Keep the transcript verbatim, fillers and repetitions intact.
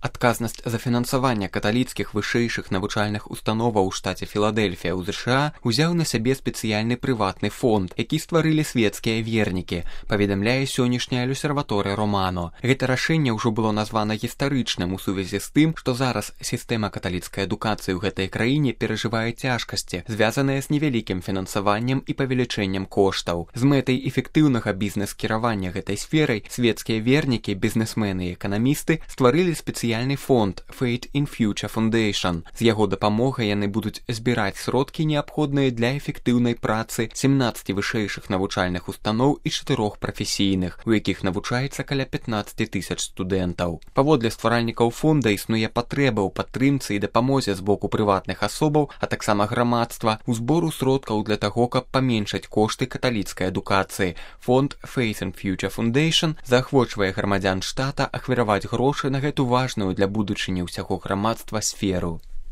Адказнасць за фінансаванне каталіцкіх вышэйшых навучальных установаў у штаце Філадельфія ў ЗША узяў на сябе спецыяльны прыватны фонд, які стварылі свецкія вернікі, паведамляе сённяшняя Люсерваторыя Романо. Гэта рашэнне ўжо было названа гістарычным у сувязі з тым, што зараз сістэма каталіцкай адукацыі ў гэтай краіне перажывае цяжкасці, звязаныя з невялікім фінансаваннем і павелічэннем коштаў. З мэтай эфектыўнага бізнес-кіравання гэтай сферай свецкія вернікі, бізнесмены і эканамісты стварылі спецыяльны фонд Faith in Future Foundation. З яго дапамогай яны будуць збіраць сродкі, неабходныя для эфектыўнай працы сямнаццаці вышэйшых навучальных устаноў і чатырох прафесійных, у якіх навучаецца каля пятнаццаць тысяч студэнтаў. Паводле стваральнікаў фонда існуе патрэба ў падтрымцы і дапамозе з боку прыватных асобаў, а таксама грамадства, у збору сродкаў для таго, каб паменшаць кошты каталіцкай адукацыі. Фонд Faith in Future Foundation заахвочвае грамадзян штата ахвяраваць грошы на гэту важную для будучыні ўсяго грамадства сферу.